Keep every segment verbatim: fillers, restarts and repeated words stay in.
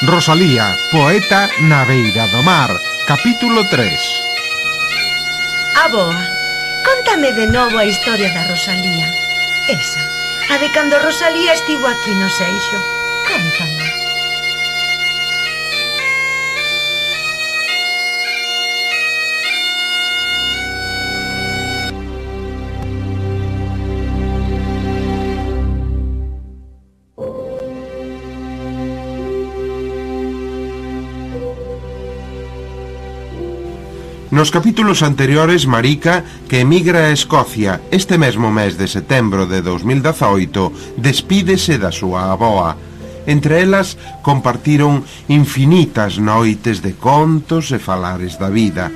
Rosalía, poeta na beira do mar, capítulo tres. Aboa, contame de novo a historia da Rosalía. Esa, a de cando Rosalía estivo aquí no Seixo. Contame. Nos capítulos anteriores, Marica, que emigra a Escocia este mesmo mes de setembro de dos mil dezaoito, despídese da súa avoa. Entre elas, compartiron infinitas noites de contos e falares da vida.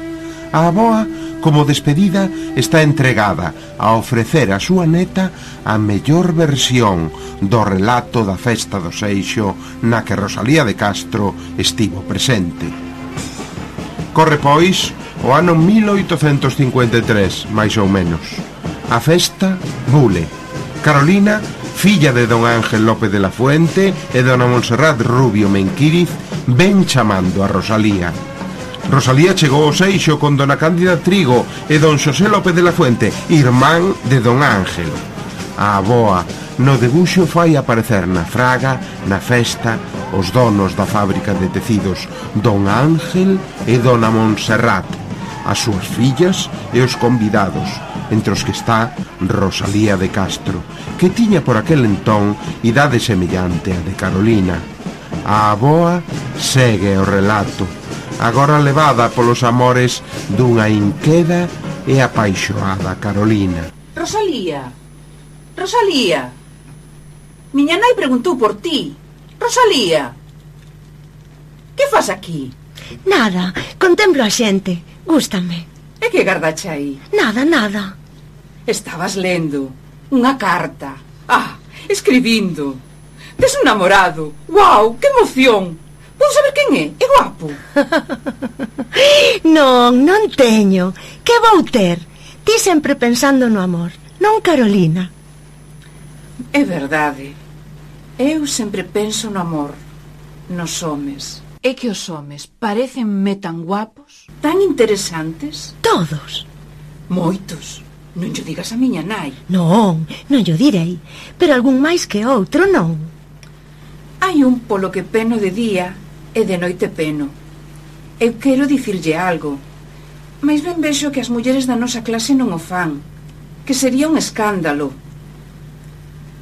A avoa, como despedida, está entregada a ofrecer a súa neta a mellor versión do relato da festa do Seixo na que Rosalía de Castro estivo presente. Corre, pois, o ano mil oitocentos cincuenta e tres, máis ou menos. A festa bule. Carolina, filla de don Ángel López de la Fuente e dona Montserrat Rubio Menquíriz, ven chamando a Rosalía. Rosalía chegou ao Seixo con dona Cándida Trigo e don Xosé López de la Fuente, irmán de don Ángel. A avoa, no debuxo, fai aparecer na fraga, na festa, os donos da fábrica de tecidos, don Ángel e dona Montserrat, as súas fillas e os convidados, entre os que está Rosalía de Castro, que tiña por aquel entón idade semellante a de Carolina. A avoa segue o relato, agora levada polos amores dunha inqueda e apaixoada Carolina. Rosalía, Rosalía, miña nai preguntou por ti. Rosalía, que fas aquí? Nada, contemplo a xente, gústame. E que gardache aí? Nada, nada. Estabas lendo unha carta. Ah, escribindo. Tes un namorado. Guau, que emoción. Vou saber quen é, é guapo. Non, non teño. Que vou ter? Ti sempre pensando no amor, non Carolina? É verdade. Eu sempre penso no amor, nos homes. É que os homes parecenme tan guapos, tan interesantes. Todos. Moitos. Non llo digas a miña nai. Non, non llo direi, pero algún máis que outro non. Hai un polo que peno de día e de noite peno. Eu quero dicirlle algo, mais ben vexo que as mulleres da nosa clase non o fan, que sería un escándalo.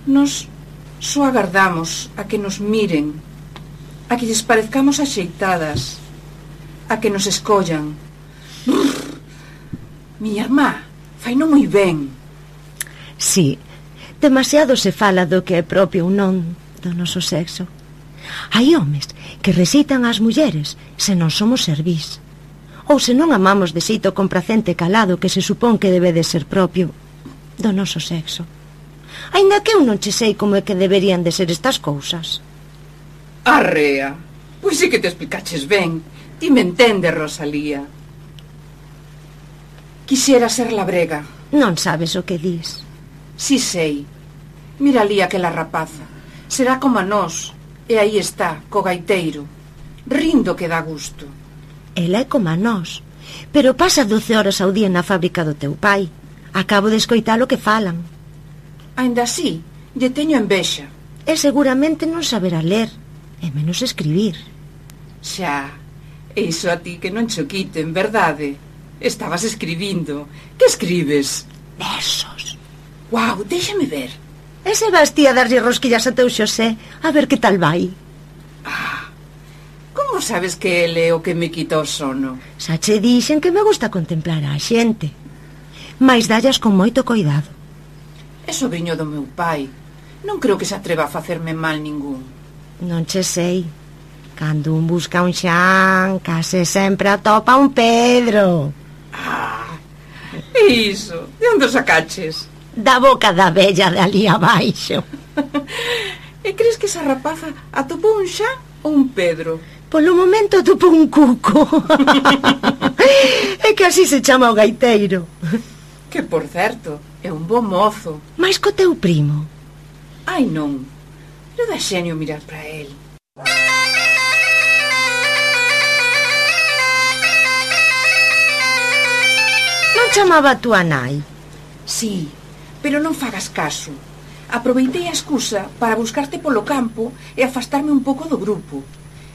Nos só agardamos a que nos miren, a que lles parezcamos axeitadas, a que nos escollan. Brrr, miña irmá, faino moi ben. Sí, demasiado se fala do que é propio ou non do noso sexo. Hai homes que recitan ás mulleres se non somos servís, ou se non amamos de xeito complacente calado que se supón que debe de ser propio do noso sexo. Ainda que eu non che sei como é que deberían de ser estas cousas. Arrea, pois sí que te explicaches ben. Ti me entendes, Rosalía. Quixera ser labrega. Non sabes o que dis. Si sei. Mira ali aquela rapaza. Será como a nós. E aí está, co gaiteiro. Rindo que dá gusto. Ela é como a nós, pero pasa doce horas ao día na fábrica do teu pai. Acabo de escoitar o que falan. Ainda así, lle teño envexa. E seguramente non saberá ler, e menos escribir. Xa, iso a ti que non cho quiten, verdade? Estabas escribindo. Que escribes? Versos. Guau, déxame ver. E se vas ti a darlle rosquillas a teu Xosé, a ver que tal vai? Ah, como sabes que ele é o que me quita o sono? Xa che dixen que me gusta contemplar a xente, mais dallas con moito cuidado. É sobrinho do meu pai. Non creo que se atreva a facerme mal ningún. Non che sei. Cando un busca un Xan, case sempre atopa un Pedro. Ah, iso. De onde o sacaches? Da boca da vella de ali abaixo. E crees que esa rapaza atopou un Xan ou un Pedro? Polo momento atopou un cuco. É que así se chama o gaiteiro. Que, por certo, é un bo mozo. Mais co teu primo. Ai, non. Non dá xenio mirar para el. chamaba a túa nai? Sí, pero non fagas caso. Aproveitei a excusa para buscarte polo campo e afastarme un pouco do grupo.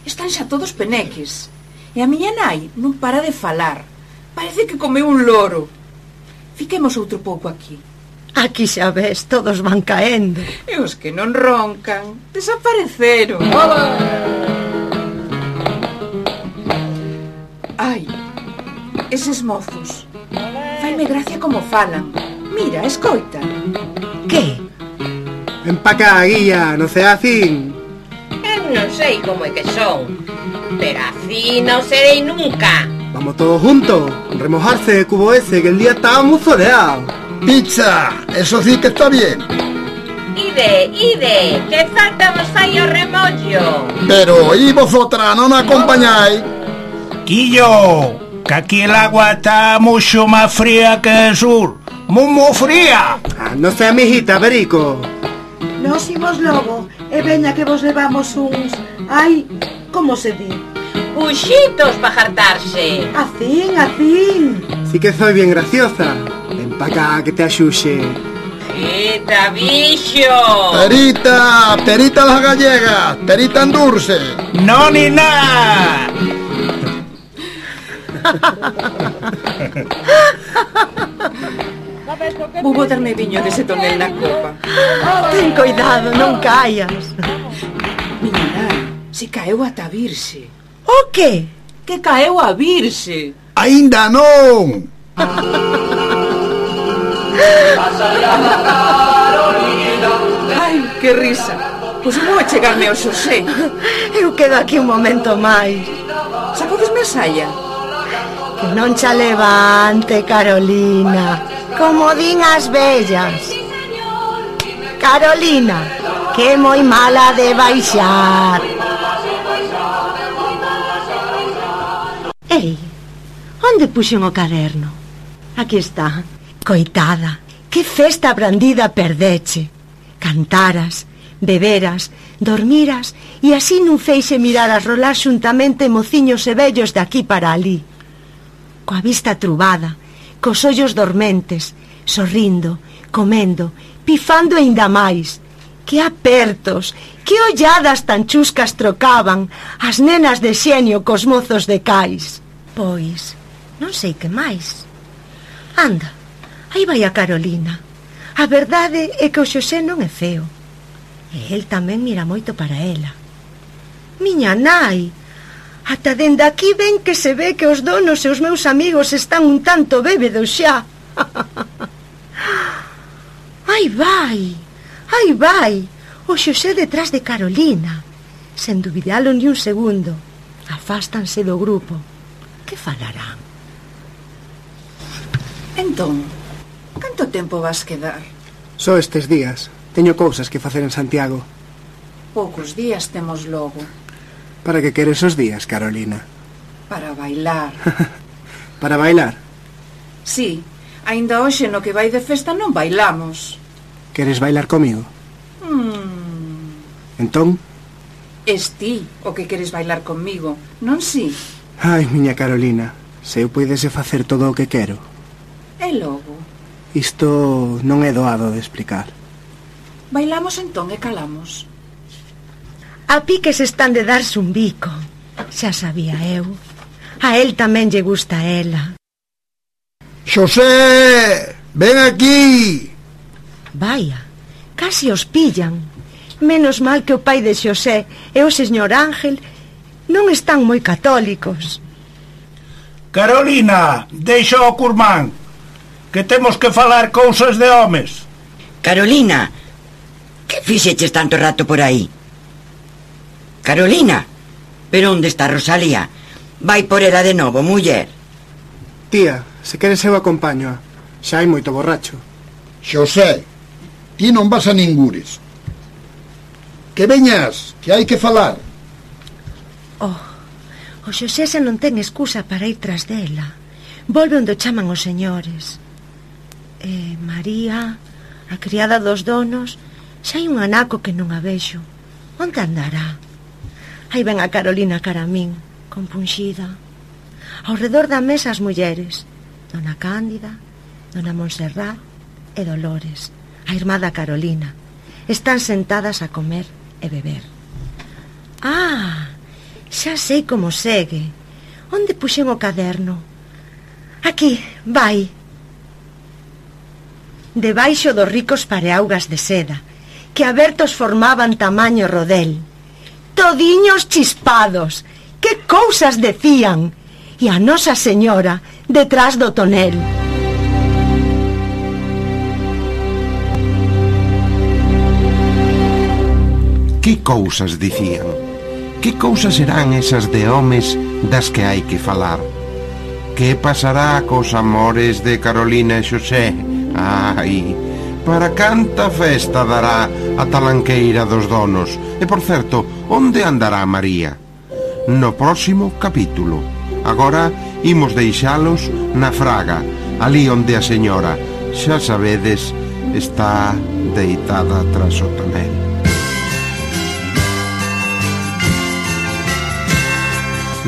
Están xa todos peneques. E a miña nai non para de falar. Parece que comeu un loro. Fiquemos outro pouco aquí. Aquí xa ves, todos van caendo. E os que non roncan desapareceron. Ai, eses mozos. Faime gracia como falan. Mira, escoita. Que? Ven pa cá, guía, no ceacín. Eu non sei como é que son, pero así non serei nunca. Vamos todos juntos, remojarse, cubo ese, que el día estaba muy soleado. Pizza, eso sí que está bien. Ide, ide, que falta vos fai o remollo. Pero, ¿y vosotras no nos acompañáis? Quillo, que aquí el agua está mucho más fría que el sur. Muy, muy fría. Ah, no sea mijita, Perico. Nos imos logo, e veña que vos levamos uns... Ai, como se di? Puxitos pa jartarse. Acín, acín. Sí que soy bien graciosa. Ven pa cá, que te axuxe. Quita, bicho. Perita, perita las gallegas, perita en dulce. No, ni nada. Vou botarme viño dese tonel na copa. Ten cuidado, non caias. Miña nai, se caeu ata a virse. O que? Que caeu a virse. Ainda non. Ai, que risa. Pois vou a chegarme ao Xosé. Eu quedo aquí un momento máis. Sacodesme a saia. Que non xa levante, Carolina, como din as vellas. Carolina, que é moi mala de baixar. Ei, onde puxen o caderno? Aquí está. Coitada, que festa brandida perdeche. Cantaras, beberas, dormiras e así nun feixe mirar a rolar xuntamente mociños e vellos de aquí para ali. Coa vista trubada, cos ollos dormentes, sorrindo, comendo, pifando aínda máis. Que apertos, que olladas tan chuscas trocaban as nenas de xenio cos mozos de cais. Pois, non sei que máis. Anda, aí vai a Carolina. A verdade é que o Xosé non é feo. E el tamén mira moito para ela. Miña nai, ata dende aquí ven que se ve que os donos e os meus amigos están un tanto bébedos xa. Aí vai, aí vai, o Xosé detrás de Carolina. Sen dubidalo ni un segundo. Afástanse do grupo. Que falarán? Entón, canto tempo vas quedar? Só estes días. Teño cousas que facer en Santiago. Poucos días temos logo. Para que queres os días, Carolina? Para bailar. Para bailar? Sí, aínda hoxe no que vai de festa non bailamos. Queres bailar comigo? Hmm. Entón? Es ti o que queres bailar comigo, non si? Ai, miña Carolina, se eu poidese facer todo o que quero. E logo? Isto non é doado de explicar. Bailamos entón e calamos. A piques están de darse un bico. Xa sabía eu. A él tamén lle gusta a ela. Xosé, ven aquí. Vaya, casi os pillan. Menos mal que o pai de Xosé e o señor Ángel non están moi católicos. Carolina, deixa o curmán, que temos que falar cousas de homes. Carolina, que fixeches tanto rato por aí? Carolina, pero onde está Rosalía? Vai por ela de novo, muller. Tía, se queres eu acompaño. Xa hai moito borracho. Xosé, ti non vas a ningures. Que veñas, que hai que falar. Oh, o Xosé xa non ten excusa para ir tras dela. Volve onde chaman os señores. E María, a criada dos donos, xa hai un anaco que non a vexo. Onde andará? Aí ven a Carolina cara a min, compunxida. Ao redor da mesa as mulleres, Dona Cándida, Dona Montserrat e Dolores, a irmá da Carolina. Están sentadas a comer e beber. Ah, xa sei como segue. Onde puxen o caderno? Aquí, vai. Debaixo dos ricos pareaugas de seda, que abertos formaban tamaño rodel. Todiños chispados, que cousas decían. E a Nosa Señora detrás do tonel. Que cousas dicían? Que cousas serán esas de homes das que hai que falar? Que pasará cos amores de Carolina e Xosé? Ai, para canta festa dará a talanqueira dos donos. E, por certo, onde andará María? No próximo capítulo. Agora imos deixalos na fraga, ali onde a señora, xa sabedes, está deitada tras o tonel.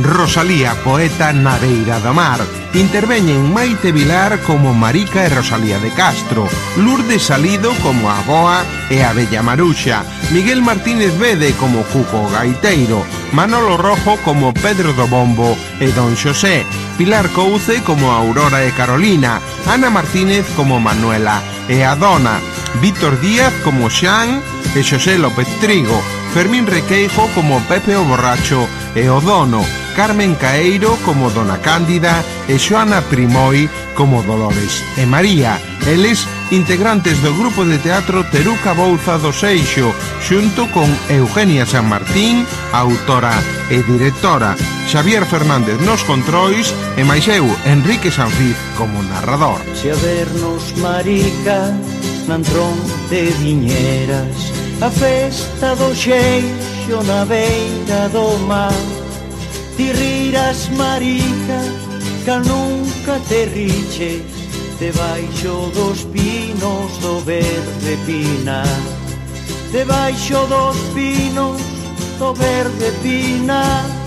Rosalía, poeta na beira do mar. Interveñen Maite Vilar como Marica e Rosalía de Castro, Lourdes Salido como a Boa e a Bella Maruxa, Miguel Martínez Bede como Cuco Gaiteiro, Manolo Rojo como Pedro do Bombo e Don Xosé, Pilar Couce como Aurora e Carolina, Ana Martínez como Manuela e a Dona, Víctor Díaz como Xan e Xosé López Trigo, Fermín Requeijo como Pepe o Borracho e o Dono, Carmen Caeiro como Dona Cándida e Xoana Primoi como Dolores e María. Eles, integrantes do grupo de teatro Teruca Bouza do Seixo, xunto con Eugenia San Martín, autora e directora, Xavier Fernández nos controis e máis eu, Enrique Sanfiz, como narrador. Se a vernos, Marica, nan tron de viñeras, a festa do Xeixo na beira do mar. Ti riras, Marica, que nunca te riches, debaixo dos pinos do verde pinar. Debaixo dos pinos do verde pinar.